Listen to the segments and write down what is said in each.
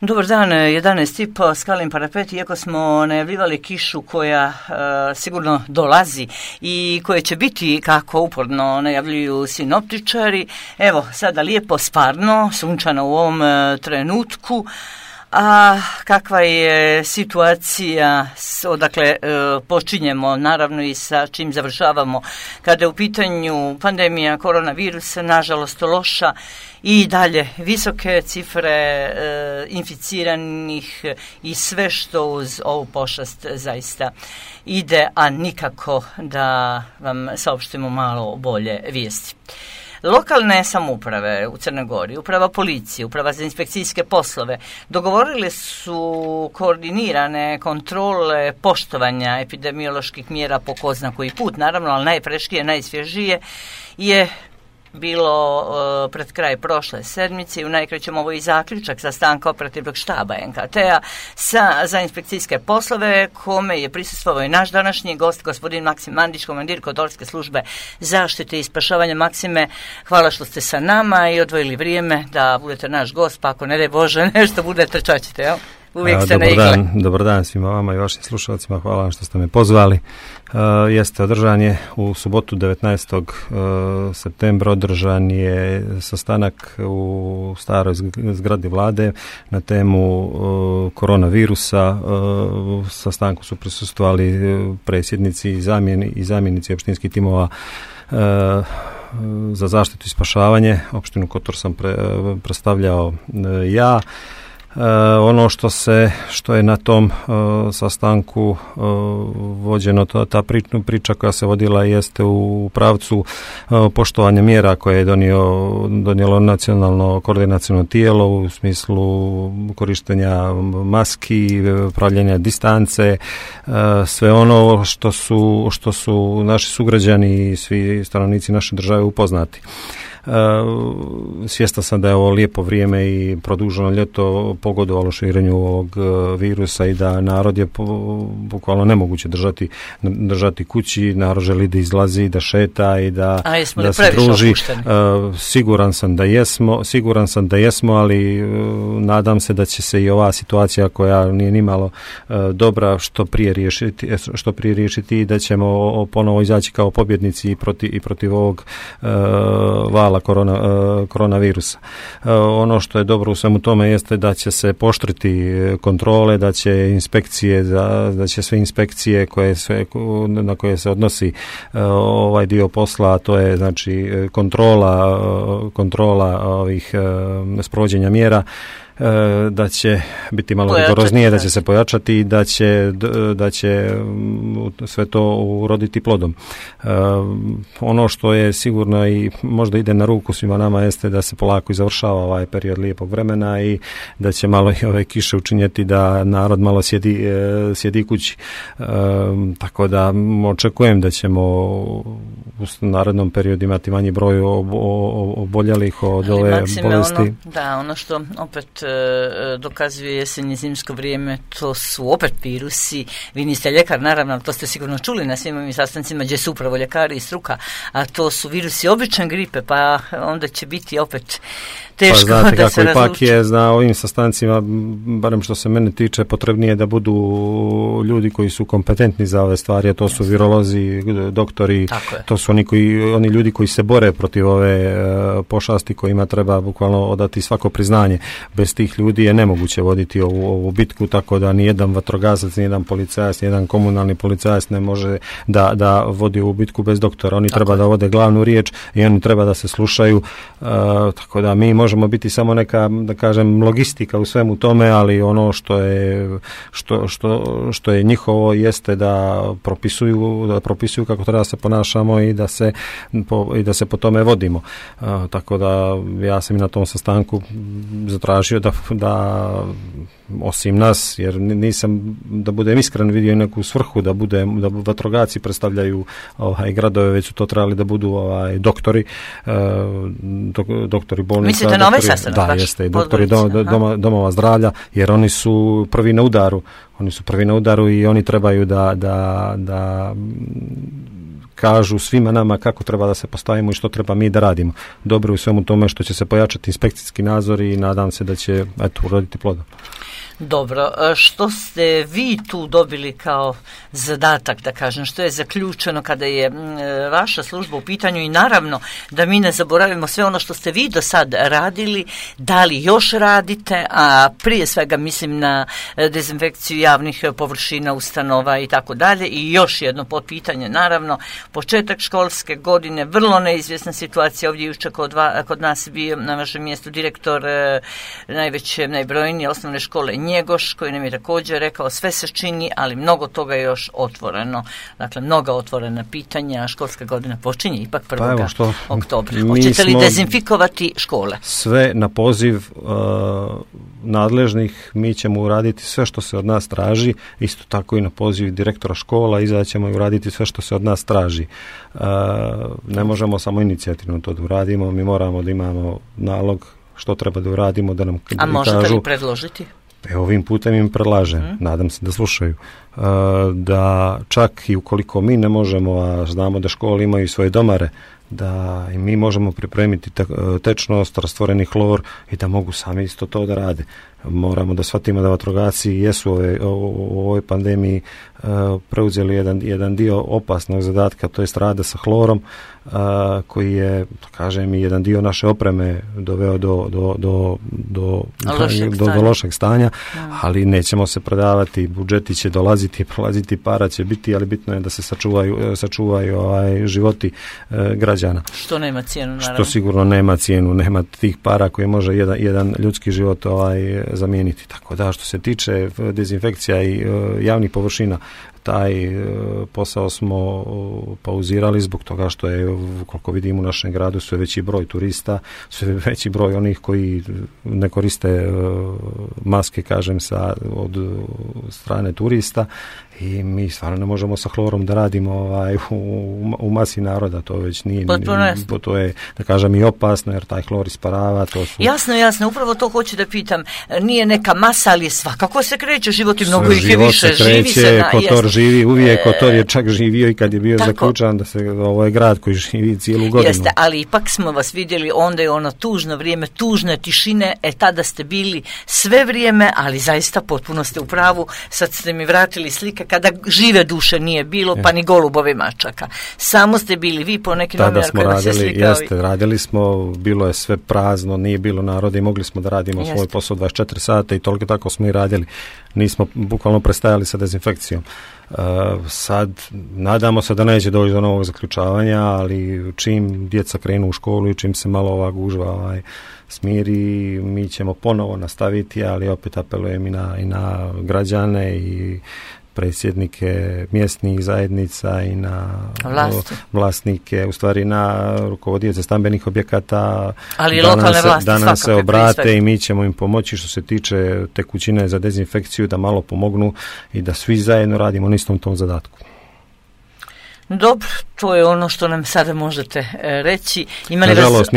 Dobar dan, 11:30, Skalin parapet, iako smo najavljivali kišu koja sigurno dolazi i koje će biti, kako uporno najavljuju sinoptičari, evo sada lijepo sparno, sunčano u ovom trenutku. A kakva je situacija, odakle počinjemo, naravno i sa čim završavamo, kada je u pitanju pandemija koronavirusa, nažalost loša i dalje visoke cifre inficiranih i sve što uz ovu pošast zaista ide, a nikako da vam saopštimo malo bolje vijesti. Lokalne samouprave u Crnoj Gori, uprava policije, uprava za inspekcijske poslove dogovorile su koordinirane kontrole poštovanja epidemioloških mjera po ko zna koji put, naravno, ali najpreškije, najsvježije je bilo pred kraj prošle sedmice i u najkraćem ovo i zaključak sastanka operativnog štaba NKT-a za inspekcijske poslove, kome je prisustvovao i naš današnji gost, gospodin Maksim Mandić, komandir Kotorske službe zaštite i spašavanja. Maksime, hvala što ste sa nama i odvojili vrijeme da budete naš gost, pa ako ne daj Bože nešto bude trčaćete, jel? Uvijek ste na igle. Dobar dan svima vama i vašim slušalcima, hvala vam što ste me pozvali. Jeste, održan je u subotu 19. septembra, održan je sastanak u staroj zgradi vlade na temu koronavirusa. U sastanku su prisustvovali predsjednici i zamjenici opštinskih timova za zaštitu i spašavanje. Opštinu Kotor sam predstavljao ja. Ono što je na tom sastanku vođeno, ta priča koja se vodila jeste u pravcu poštovanja mjera koje je donijelo nacionalno koordinaciono tijelo u smislu korištenja maski, pravljenja distance, sve ono što su naši sugrađani i svi stanovnici naše države upoznati. Svjestan sam da je ovo lijepo vrijeme i produženo ljeto pogodovalo širenju ovog virusa i da narod je bukvalno nemoguće držati kući, narod želi da izlazi, da šeta i da se druži. Siguran sam da jesmo, ali nadam se da će se i ova situacija koja nije nimalo dobra što prije riješiti i da ćemo ponovo izaći kao pobjednici i protiv ovog vala koronavirusa. Ono što je dobro u svemu tome jeste da će se pooštriti kontrole, da će sve inspekcije na koje se odnosi ovaj dio posla, a to je znači kontrola ovih sprovođenja mjera, da će biti malo rigoroznije, da će se pojačati i da će sve to uroditi plodom. Ono što je sigurno i možda ide na ruku svima nama jeste da se polako i završava ovaj period lijepog vremena i da će malo i ove kiše učinjeti da narod malo sjedi kući. Tako da očekujem da ćemo u narednom periodu imati manji broj oboljelih od ove bolesti. Ono što opet dokazuje jesen i zimsko vrijeme, to su opet virusi. Vi niste ljekar, naravno, to ste sigurno čuli na svim ovim sastancima gdje su upravo ljekari i struka, a to su virusi običan gripe, pa onda će biti opet teško znate, da se razluči. Ipak je na ovim sastancima, barem što se mene tiče, potrebnije da budu ljudi koji su kompetentni za ove stvari, a to su virolozi, doktori, to su oni ljudi koji se bore protiv ove pošasti, kojima treba bukvalno odati svako priznanje. Bez tih ljudi je nemoguće voditi ovu bitku, tako da nijedan vatrogasac, nijedan policajac, nijedan komunalni policajac ne može da vodi ovu bitku bez doktora. Oni treba da vode glavnu riječ i oni treba da se slušaju, tako da mi možemo biti samo neka, da kažem, logistika u svemu tome, ali ono što je njihovo jeste da propisuju kako treba da se ponašamo i da se po tome vodimo. Tako da ja sam i na tom sastanku zatražio da osim nas, jer nisam, da budem iskren, vidio neku svrhu da vatrogasci predstavljaju gradove, već su to trebali da budu doktori bolnica. Mislite na ovaj sastanak? Da, jeste, i doktori domova zdravlja, jer oni su prvi na udaru. I oni trebaju da kažu svima nama kako treba da se postavimo i što treba mi da radimo. Dobro u svemu tome što će se pojačati inspekcijski nadzor i nadam se da će uroditi plodom. Dobro, što ste vi tu dobili kao zadatak, da kažem, što je zaključeno kada je vaša služba u pitanju i naravno da mi ne zaboravimo sve ono što ste vi do sad radili, da li još radite, a prije svega mislim na dezinfekciju javnih površina, ustanova i tako dalje. I još jedno potpitanje, naravno, početak školske godine, vrlo neizvjesna situacija, ovdje jučer kod nas bio na vašem mjestu direktor najveće, najbrojnije osnovne škole Njegoš, koji nam je također rekao sve se čini, ali mnogo toga je još otvoreno. Dakle, mnoga otvorena pitanja, školska godina počinje ipak 1. oktobra. Hoćete li dezinfikovati škole? Sve na poziv nadležnih, mi ćemo uraditi sve što se od nas traži, isto tako i na poziv direktora škola, izaćemo i uraditi sve što se od nas traži. Ne možemo samo inicijativno to da uradimo, mi moramo da imamo nalog što treba da uradimo, da nam kažu. A možete li predložiti? Ovim putem im predlažem, nadam se da slušaju, da čak i ukoliko mi ne možemo, a znamo da škole imaju svoje domare, da i mi možemo pripremiti tečnost, rastvoreni hlor i da mogu sami isto to da rade. Moramo da shvatimo da vatrogasci jesu u ovoj pandemiji preuzeli jedan dio opasnog zadatka, to je rada sa hlorom, koji je, kažem, i jedan dio naše opreme doveo do lošeg stanja, ali nećemo se prodavati, budžeti će dolaziti, prolaziti, para će biti, ali bitno je da se sačuvaju životi građana. Što nema cijenu, naravno. Što sigurno nema cijenu, nema tih para koje može jedan ljudski život zamijeniti. Tako da, što se tiče dezinfekcija i javnih površina, taj posao smo pauzirali zbog toga što je, koliko vidim, u našem gradu sve veći broj turista, sve veći broj onih koji ne koriste maske, kažem, od strane turista, i mi stvarno ne možemo sa hlorom da radimo u masi naroda, to već nije, to je, da kažem, i opasno, jer taj hlor isparava. Jasno, upravo to hoću da pitam, nije neka masa, ali svakako se kreće, život i mnogo ih je više, živi se Kotor živi uvijek, Kotor je čak živio i kad je bio zaključan, da se ovo je grad koji živi cijelu godinu. Jeste, ali ipak smo vas vidjeli, onda je ono tužno vrijeme, tužne tišine, tada ste bili sve vrijeme, ali zaista potpuno ste u pravu, sad ste mi vratili slike kada žive duše nije bilo, pa ni golubove mačaka. Samo ste bili vi po nekim novinarima kada se slikao. Radili smo, bilo je sve prazno, nije bilo naroda i mogli smo da radimo svoj posao 24 sata i toliko tako smo i radili. Nismo bukvalno prestajali sa dezinfekcijom. Sad nadamo se da neće doći do novog zaključavanja, ali čim djeca krenu u školu i čim se malo ova gužva smiri, mi ćemo ponovo nastaviti, ali opet apelujem i na građane i predsjednike mjesnih zajednica i na vlasnike, u stvari na rukovodioce stambenih objekata, ali lokalne vlasti da nam se obrate i mi ćemo im pomoći što se tiče tekućine za dezinfekciju, da malo pomognu i da svi zajedno radimo na istom tom zadatku. Dobro, to je ono što nam sada možete reći. Nažalost,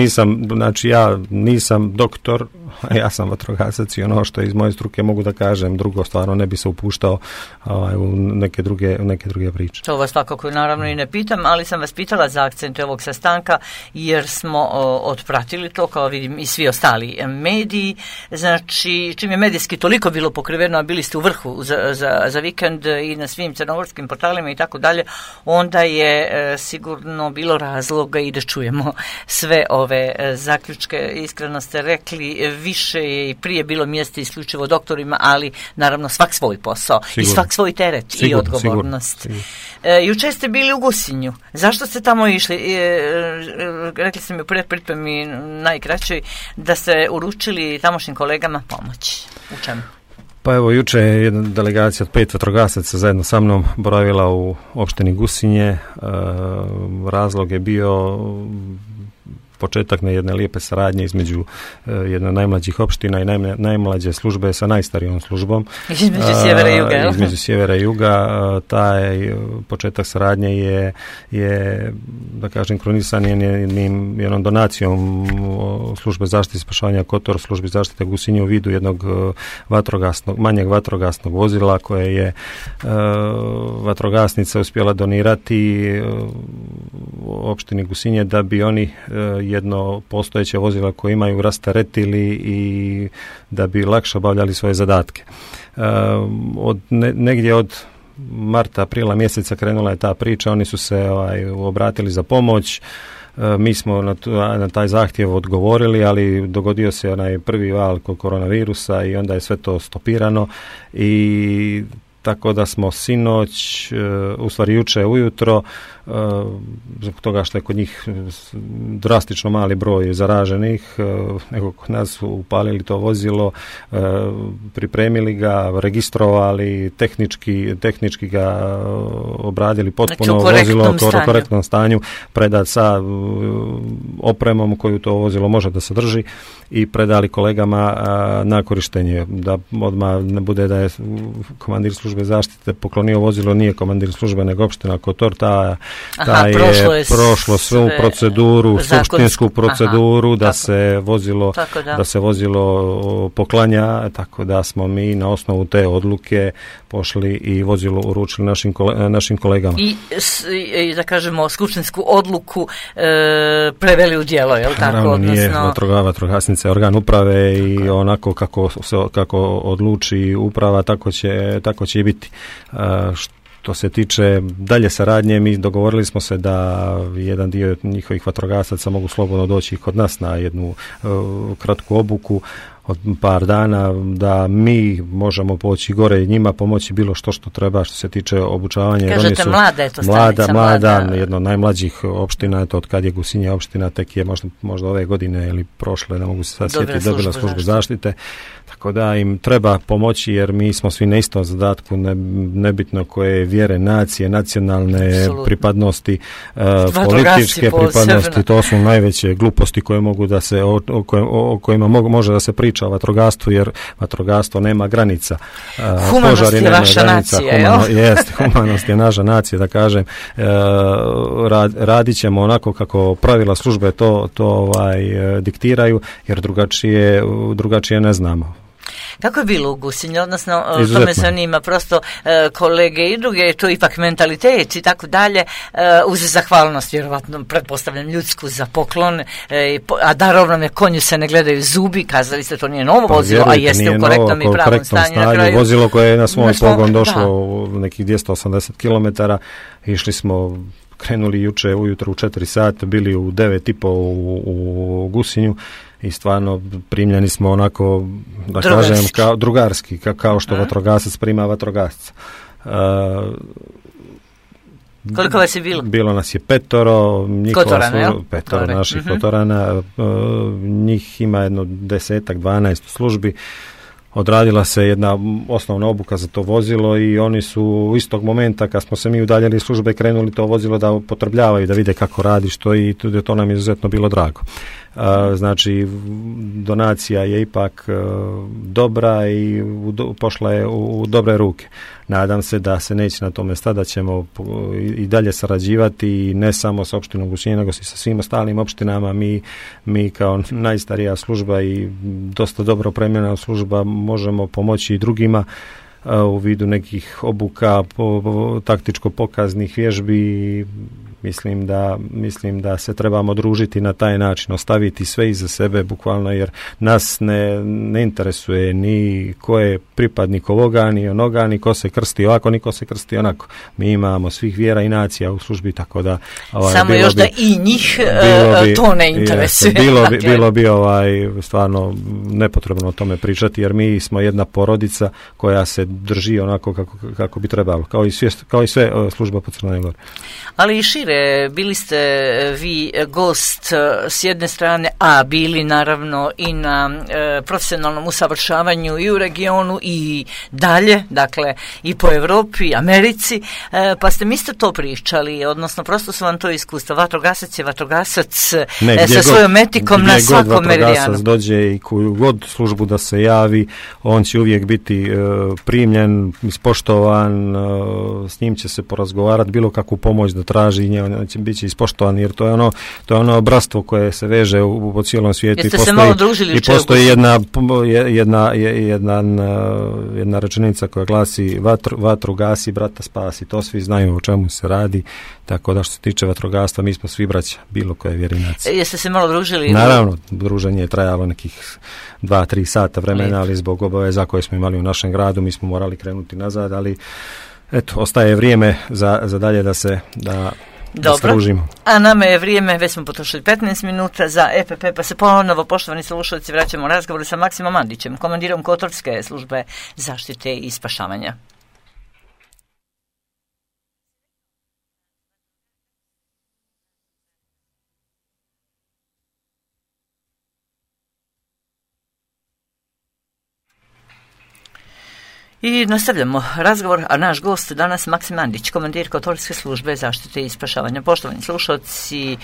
ja nisam doktor, ja sam vatrogasac i ono što je iz moje struke mogu da kažem, drugo stvarno ne bi se upuštao u neke druge priče. To vas svakako naravno i ne pitam, ali sam vas pitala za akcente ovog sastanka jer smo otpratili to, kao vidim i svi ostali mediji. Znači, čim je medijski toliko bilo pokriveno, a bili ste u vrhu za vikend i na svim crnogorskim portalima i tako dalje, onda je sigurno bilo razloga i da čujemo sve ove zaključke. Iskreno ste rekli, više je i prije bilo mjesta isključivo doktorima, ali naravno svak svoj posao i svak svoj teret i odgovornost. Jučer ste bili u Gusinju. Zašto ste tamo išli? Rekli ste mi u predpripremi najkraćoj da ste uručili tamošnjim kolegama pomoć. U čemu? Pa evo, juče je jedna delegacija od 5 vatrogasaca zajedno sa mnom boravila u opštini Gusinje. Razlog je bio početak jedne lijepe saradnje između jedne najmlađih opština i najmlađe službe sa najstarijom službom. Između sjevera i juga. Između sjevera i juga. Taj početak saradnje je da kažem, kronisan jednom donacijom službe zaštite i spašavanja Kotor, službi zaštite Gusinje u vidu jednog manjeg vatrogasnog vozila koje je vatrogasnica uspjela donirati opštini Gusinje da bi oni jedno postojeće vozila koje imaju rasteretili i da bi lakše obavljali svoje zadatke. Negdje od marta, aprila mjeseca krenula je ta priča, oni su se obratili za pomoć. Mi smo na taj zahtjev odgovorili, ali dogodio se onaj prvi val koronavirusa i onda je sve to stopirano i tako da smo sinoć, u stvari juče ujutro, zbog toga što je kod njih drastično mali broj zaraženih, nego kod nas upalili to vozilo, pripremili ga, registrovali, tehnički ga obradili potpuno, vozilo u korektnom stanju, predat sa opremom koju to vozilo može da sadrži i predali kolegama na korištenje. Da odmah ne bude da je komandir službe zaštite poklonio vozilo, nije komandir službe nego opština Kotor, ta je prošlo svu proceduru, skupštinsku proceduru da se vozilo poklanja, tako da smo mi na osnovu te odluke pošli i vozilo uručili našim kolegama. I da kažemo skupštinsku odluku preveli u djelo, je li tako? Naravno, nije vatrogasnica je organ uprave i onako kako odluči uprava, tako će i biti. Što se tiče dalje saradnje, mi dogovorili smo se da jedan dio njihovih vatrogasaca mogu slobodno doći kod nas na jednu kratku obuku od par dana, da mi možemo poći gore i njima pomoći bilo što treba što se tiče obučavanja. Kažete mlada je to stanica? Mlada, jedna od najmlađih opština, to od kad je Gusinje opština, tek je možda ove godine ili prošle, ne mogu se sad sjetiti, dobila službu zaštite. Tako da im treba pomoći jer mi smo svi na istom zadatku, nebitno koje vjere, nacije, nacionalne pripadnosti, političke pripadnosti, to su najveće gluposti koje mogu da se, o kojima može da se priča o vatrogastvu, jer vatrogastvo nema granica. Humanost je vaša nacija, humanost je naša nacija, da kažem. Radit ćemo onako kako pravila službe to diktiraju, jer drugačije ne znamo. Kako je bilo u Gusinju, odnosno to me zanima, prosto kolege i druge, to je ipak mentalitet i tako dalje, uz zahvalnost, vjerovatno, pretpostavljam ljudsku za poklon, a darovnome konju se ne gledaju zubi, kazali ste to nije novo vozilo, a jeste u korektnom i pravom stanju na kraju. Vozilo koje je na svoj pogon došlo u nekih 280 km, išli smo, krenuli juče ujutro u 4 sata, bili u 9:30 u Gusinju i stvarno primljeni smo onako, da kažem, kao drugarski, kao što vatrogasac prima vatrogasca. Koliko vas je bilo? Bilo nas je 5, petoro naših Kotorana, njih ima jedno 10-12 službi. Odradila se jedna osnovna obuka za to vozilo i oni su istog momenta kad smo se mi udaljili iz službe krenuli to vozilo da upotrebljavaju, da vide kako radi, što i to nam je izuzetno bilo drago. Znači, donacija je ipak dobra i pošla je u dobre ruke. Nadam se da se neće na tome stati, da ćemo i dalje sarađivati ne samo s opštinom Gusinje, nego i sa svim ostalim opštinama. Mi kao najstarija služba i dosta dobro opremljena služba možemo pomoći i drugima u vidu nekih obuka, taktičko-pokaznih vježbi. Mislim da se trebamo družiti na taj način, ostaviti sve iza sebe bukvalno, jer nas ne interesuje ni ko je pripadnik ovoga, ni onoga, ni ko se krsti ovako, ni ko se krsti onako. Mi imamo svih vjera i nacija u službi, tako da... Samo još da i njih to ne interesuje. Bilo bi stvarno nepotrebno o tome pričati, jer mi smo jedna porodica koja se drži onako kako bi trebalo, kao i sve služba po Crnoj Gori. Ali i šire ministre, bili ste vi gost s jedne strane, a bili naravno i na profesionalnom usavršavanju i u regionu i dalje, dakle i po Europi, Americi, pa ste mi isto to pričali, odnosno prosto su vam to iskustva. Vatrogasac je vatrogasac sa svojom etikom na svakom meridijanu. Vatrogasac dođe i koju god službu da se javi, on će uvijek biti primljen, ispoštovan, s njim će se porazgovarati, bilo kakvu pomoć da traži, njega će biti ispoštovan, jer to je ono bratstvo koje se veže po cijelom svijetu. Jeste se malo družili? I postoji jedna rečenica koja glasi vatru gasi, brata spasi. To svi znaju o čemu se radi, tako da što se tiče vatrogastva, mi smo svi braća, bilo koje vjerinacije. Jeste se malo družili? Naravno, druženje je trajalo nekih 2-3 sata vremena, ali zbog obaveza koje smo imali u našem gradu, mi smo morali krenuti nazad, ali eto, ostaje vrijeme za dalje da stružimo. A nama je vrijeme, već smo potrošili 15 minuta za EPP, pa se ponovo, poštovani slušalci, vraćamo u razgovor sa Maksimom Mandićem, komandirom Kotorske službe zaštite i spašavanja. I nastavljamo razgovor, a naš gost danas Maksim Mandić, komandir Kotorske službe zaštite i spašavanja. Poštovani slušalci,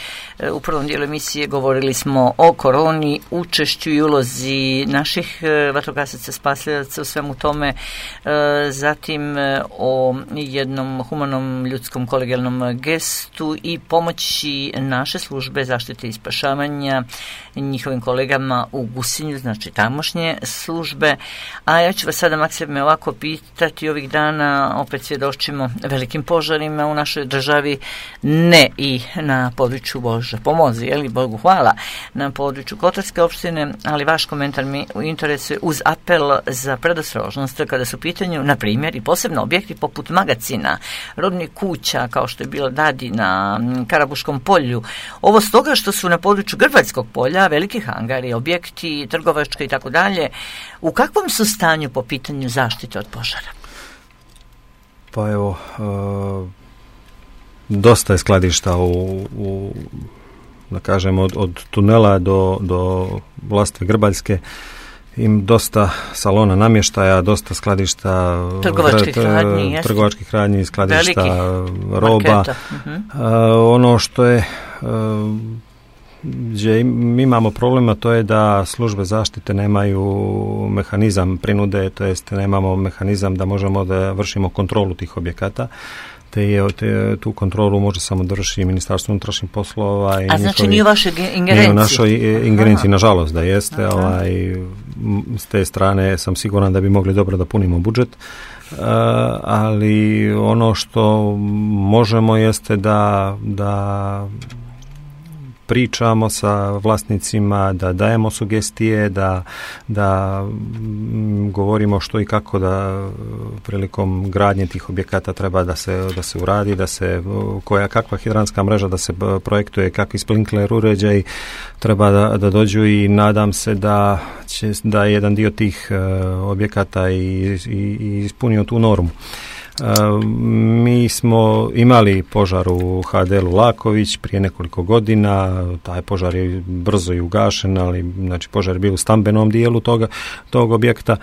u prvom dijelu emisije govorili smo o koroni, učešću i ulozi naših vatrogasaca, spasilaca u svemu tome, zatim o jednom humanom, ljudskom, kolegijalnom gestu i pomoći naše službe zaštite i spašavanja njihovim kolegama u Gusinju, znači tamošnje službe. A ja ću vas sada, Maksime, ovako pitati, ovih dana opet svjedočimo velikim požarima u našoj državi, ne i na području, Bože pomozi, jeli, Bogu hvala, na području Kotorske opštine, ali vaš komentar mi interesuje uz apel za predostrožnost kada su u pitanju, na primjer, i posebno objekti poput magacina, robnih kuća, kao što je bilo Dadi na Karabuškom polju. Ovo stoga što su na području Grbaljskog polja veliki hangari, objekti, trgovačke i tako dalje. U kakvom su stanju po pitanju zaštite od požara? Pa evo, dosta je skladišta da kažem, od tunela do Vlastve Grbaljske, im dosta salona namještaja, dosta skladišta trgovačkih radnji, skladišta roba. Ono što je gdje mi imamo problema, to je da službe zaštite nemaju mehanizam prinude, to jest nemamo mehanizam da možemo da vršimo kontrolu tih objekata. Tu kontrolu može samo da vrši Ministarstvo unutrašnjih poslova. A znači nije u vašoj ingerenciji? Nije u našoj ingerenciji, nažalost da jeste. S te strane sam siguran da bi mogli dobro da punimo budžet. Ali ono što možemo jeste da pričamo sa vlasnicima, da dajemo sugestije, da govorimo što i kako da prilikom gradnje tih objekata treba da se uradi, kakva hidranska mreža da se projektuje, kakvi sprinkler uređaj treba da dođu, i nadam se da jedan dio tih objekata i ispunio tu normu. Mi smo imali požar u HDL-u Laković prije nekoliko godina, taj požar je brzo i ugašen, ali znači požar je bio u stambenom dijelu tog objekta.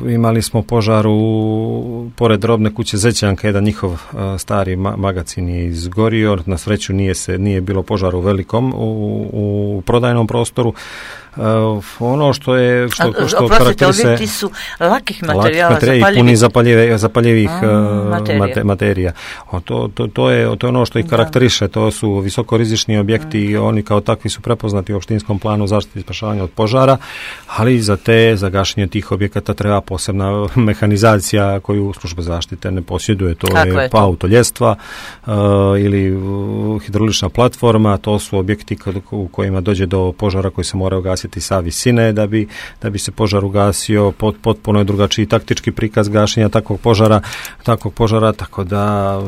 Imali smo požar pored robne kuće Zećanka, jedan njihov stari magacin je izgorio, na sreću nije bilo požara u velikom, u prodajnom prostoru. Ono što karakterise, objekti su lakih materijala, i puni zapaljivih materija. To je ono što ih karakteriše, to su visokorizični objekti i oni kao takvi su prepoznati u opštinskom planu zaštite i spašavanja od požara, ali za gašenje tih objekata treba posebna mehanizacija koju služba zaštite ne posjeduje. To je autoljestva ili hidraulična platforma, to su objekti u kojima dođe do požara koji se moraju gasiti gasiti sa visine da bi se požar ugasio, potpuno je drugačiji taktički prikaz gašenja takvog požara, tako da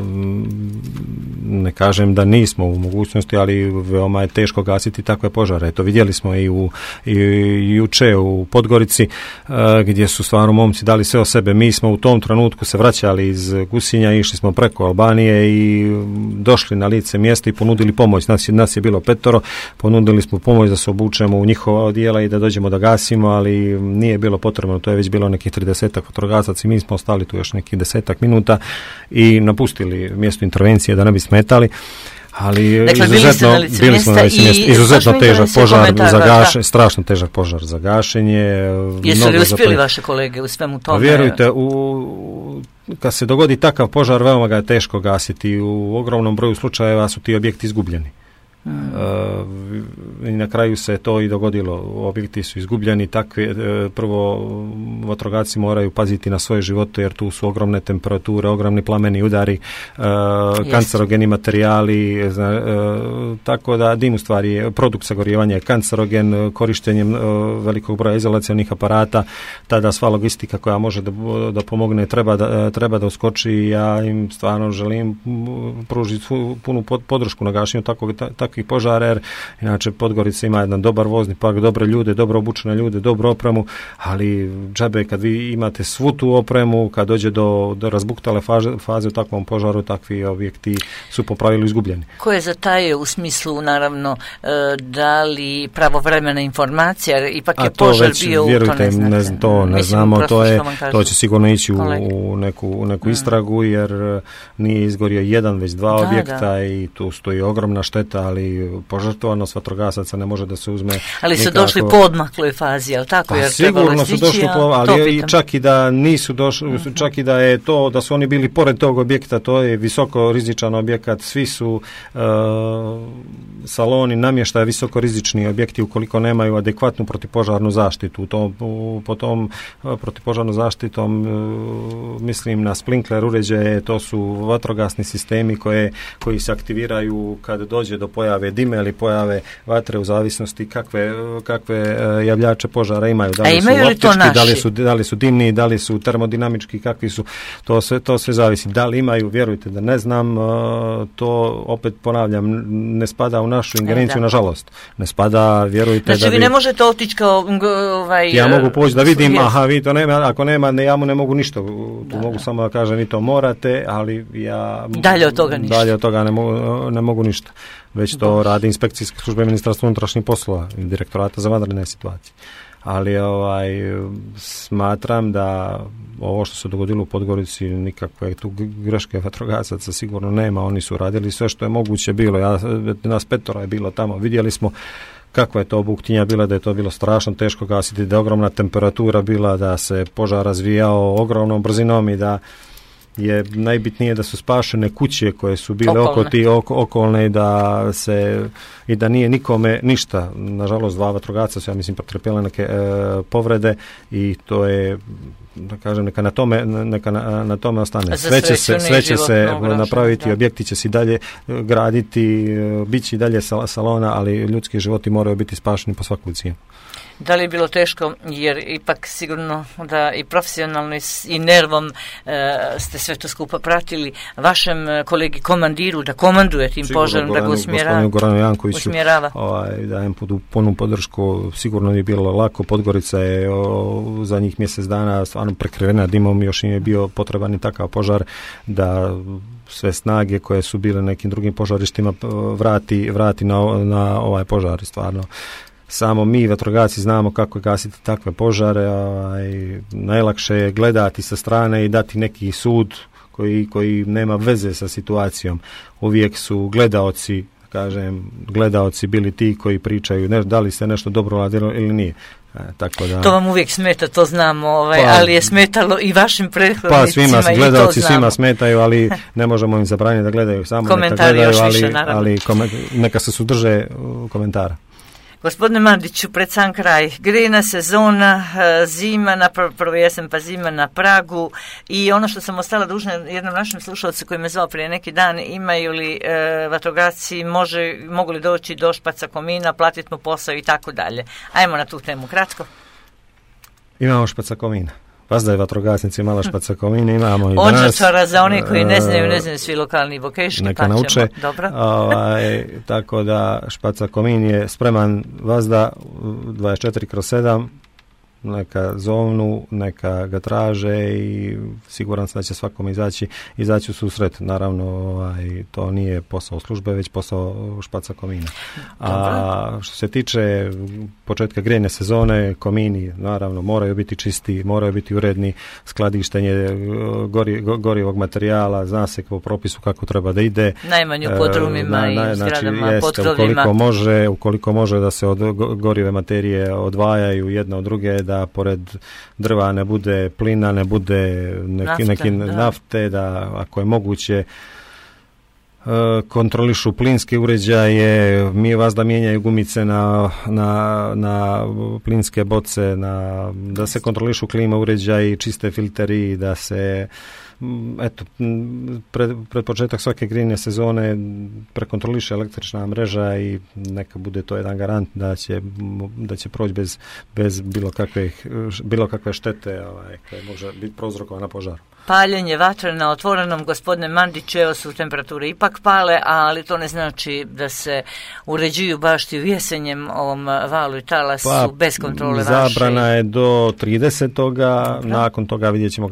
ne kažem da nismo u mogućnosti, ali veoma je teško gasiti takve požare. To vidjeli smo i juče u Podgorici, gdje su stvarno momci dali sve o sebe. Mi smo u tom trenutku se vraćali iz Gusinja, išli smo preko Albanije i došli na lice mjesta i ponudili pomoć. Nas je bilo 5, ponudili smo pomoć da se obučemo u njihova odijela i da dođemo da gasimo, ali nije bilo potrebno, to je već bilo nekih 30 vatrogasaca i mi smo ostali tu još nekih 10 minuta i napustili mjesto intervencije da ne bi smetali. Ali dakle, bili smo na lice mjesta, izuzetno težak požar za gašenje, strašno težak požar za gašenje. Jesu li uspjeli vaše kolege u svemu tome? Vjerujte, kad se dogodi takav požar, veoma ga je teško gasiti. U ogromnom broju slučajeva su ti objekti izgubljeni. I na kraju se to i dogodilo. Objekti su izgubljeni, prvo vatrogasci moraju paziti na svoje živote, jer tu su ogromne temperature, ogromni plameni udari, kancerogeni materijali, tako da dim u stvari produkt sagorijevanja je kancerogen. Korištenjem velikog broja izolacionih aparata, tada sva logistika koja može da pomogne treba da uskoči. Ja im stvarno želim pružiti punu podršku na gašenju takvih požara, jer inače Podgorica ima jedan dobar vozni park, dobre ljude, dobro obučene ljude, dobru opremu, ali džabe kad vi imate svu tu opremu, kad dođe do razbuktale faze u takvom požaru, takvi objekti su po pravilu izgubljeni. Ko je zatajio u smislu, naravno, da li pravovremena informacija, jer ipak je požar bio vjerujte, ne znamo, to će sigurno ići u neku istragu, jer nije izgorio jedan, već 2 objekta i tu stoji ogromna šteta, ali požrtvovanost vatrogasaca ne može da se uzme. Ali su došli po odmakloj fazi, ali tako? Pa sigurno su došli ali i čak i da nisu došli, čak i da je to, da su oni bili pored tog objekta, to je visoko rizičan objekat, svi su saloni namještaja visoko rizični objekti ukoliko nemaju adekvatnu protipožarnu zaštitu. Po tom protipožarnom zaštitom mislim na sprinkler uređaje, to su vatrogasni sistemi koji se aktiviraju kad dođe do pojave dime ili pojave vatre, u zavisnosti kakve javljače požara imaju. Da li su optički, da li su dimni, da li su termodinamički, kakvi su, to sve zavisi. Da li imaju, vjerujte da ne znam, to opet ponavljam, ne spada u našu ingerenciju, nažalost. Ne spada, vjerujte. Znači vi ne možete otići kao ja mogu poći da vidim, vi to nema, ako nema, ja mu ne mogu ništa, tu mogu samo da kažem, vi to morate, ali ja dalje od toga ne mogu ništa. Već to radi inspekcijske službe Ministarstva unutrašnjih poslova i Direktorata za vanredne situacije. Ali smatram da ovo što se dogodilo u Podgorici, nikakve tu greške vatrogasaca sigurno nema. Oni su radili sve što je moguće bilo. Nas 5 je bilo tamo. Vidjeli smo kakva je to buktinja bila, da je to bilo strašno teško gasiti, da je ogromna temperatura bila, da se požar razvijao ogromnom brzinom i da je najbitnije da su spašene kuće koje su bile okolne i da nije nikome ništa. Nažalost, 2 vatrogasca su, ja mislim, pretrpjela neke povrede i to je, da kažem, neka na tome ostane. Sve će se napraviti, objekti će se i dalje graditi, bit će i dalje salona, ali ljudski životi moraju biti spašeni po svaku cijenu. Da li je bilo teško, jer ipak sigurno da i profesionalno i nervom ste sve to skupa pratili, vašem kolegi komandiru da komanduje tim požarom, da ga usmjerava? Goranu Jankoviću dajem punu podršku, sigurno je bilo lako. Podgorica je zadnjih mjesec dana stvarno prekrivena dimom, još nije bio potreban i takav požar da sve snage koje su bile nekim drugim požarištima vrati na ovaj požar. Stvarno samo mi vatrogasci znamo kako gasiti takve požare. Najlakše je gledati sa strane i dati neki sud koji nema veze sa situacijom. Uvijek su gledaoci bili ti koji pričaju da li se nešto dobro radilo ili nije. Tako da, to vam uvijek smeta, to znamo, ali je smetalo i vašim prethodnicima. Gledalci svima smetaju, ali ne možemo im zabraniti da gledaju, samo komentari neka gledaju, još više, ali neka se sudrže komentara. Gospodine Mandiću, pred sam kraj, grejna sezona, zima, prvo jesen pa zima na pragu i ono što sam ostala dužna jednom našem slušalcu koji me zvao prije neki dan, imaju li vatrogasci, mogu li doći do Špaca Komina, platiti mu posao i tako dalje. Ajmo na tu temu kratko. Imamo Špaca Komina. Vas da je vatrogasnici mala Špaca Komina, imamo i danas. Odžačara za one koji ne znaju svi lokalni bokeški, neka nauče. Dobro. Tako da Špaca Komin je spreman vazda 24/7, neka zovnu, neka ga traže i siguran sam da će svakom izaći u susret. Naravno, to nije posao službe, već posao Špaca Komina. A što se tiče početka grejne sezone, komini naravno moraju biti čisti, moraju biti uredni, skladištenje gorivog materijala, zna se po propisu kako treba da ide. Najmanje u podrumima i zgradama, potkrovljima. Ukoliko može da se od gorive materije odvajaju jedna od druge, da pored drva ne bude plina, ne bude nafte, da ako je moguće kontrolišu plinske uređaje, da mijenjaju gumice na plinske boce, da se kontrolišu klima uređaji, čiste filteri, da se pred početak svake grejne sezone prekontroliše električna mreža i neka bude to jedan garant da će proći bez bilo kakve štete koje može biti prouzrokovana požarom. Paljenje vatre na otvorenom, gospodine Mandiću, evo su temperature ipak pale, ali to ne znači da se uređuju bašti u jesenjem ovom valu i talasu bez kontrole vaše. Zabrana je do 30. Nakon toga vidjet ćemo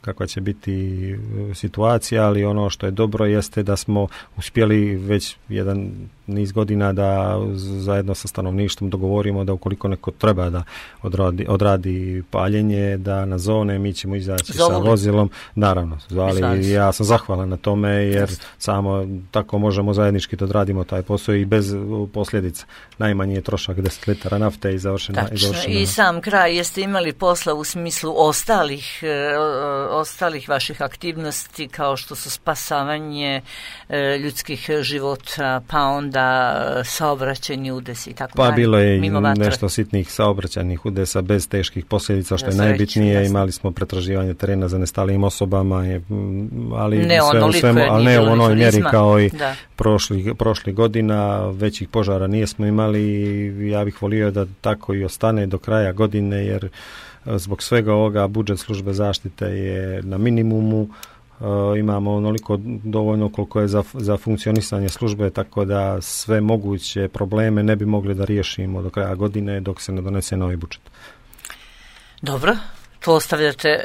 kakva će biti situacija, ali ono što je dobro jeste da smo uspjeli već jedan niz godina da zajedno sa stanovništvom dogovorimo da ukoliko neko treba da odradi paljenje, da na zone mi ćemo izaći sa vozilom. Naravno, zvali, ja sam zahvalan na tome jer samo tako možemo zajednički da odradimo taj posao i bez posljedica. Najmanji je trošak 10 litara nafte i završena. I sam kraj, jeste imali posla u smislu ostalih vaših aktivnosti kao što su spasavanje ljudskih života, pa onda saobraćajni udesi i tako dalje. Pa bilo je nešto sitnih saobraćajnih udesa bez teških posljedica, što je najbitnije. Imali smo pretraživanje terena za nestalijim osobama, ali ne u onoj mjeri kao i prošlih godina. Većih požara nismo imali i ja bih volio da tako i ostane do kraja godine, jer zbog svega ovoga budžet službe zaštite je na minimumu. Imamo onoliko dovoljno koliko je za funkcionisanje službe, tako da sve moguće probleme ne bi mogli da riješimo do kraja godine dok se ne donese novi budžet. Dobro. To ostavljate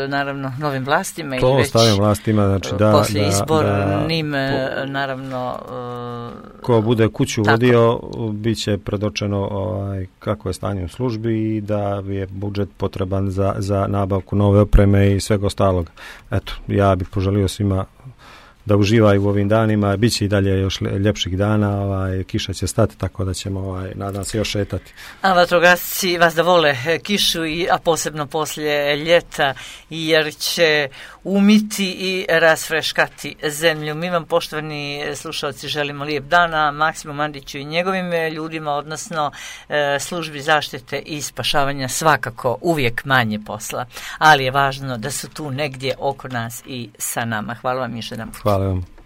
naravno novim vlastima to ili već ostavljam vlastima, znači poslije izbornim naravno ko bude kuću vodio bit će predočeno kako je stanje u službi i da je budžet potreban za nabavku nove opreme i svega ostalog. Eto, ja bih poželio svima da uživaju u ovim danima, bit će i dalje još ljepših dana, kiša će stati, tako da ćemo, nadam se, još šetati. A vatrogasci vas da vole kišu, a posebno poslije ljeta, jer će umiti i rasfreškati zemlju. Mi vam, poštovani slušalci, želimo lijep dana Maksimu Mandiću i njegovim ljudima, odnosno službi zaštite i spašavanja, svakako uvijek manje posla, ali je važno da su tu negdje oko nas i sa nama. Hvala vam još jedan put. Hvala vam.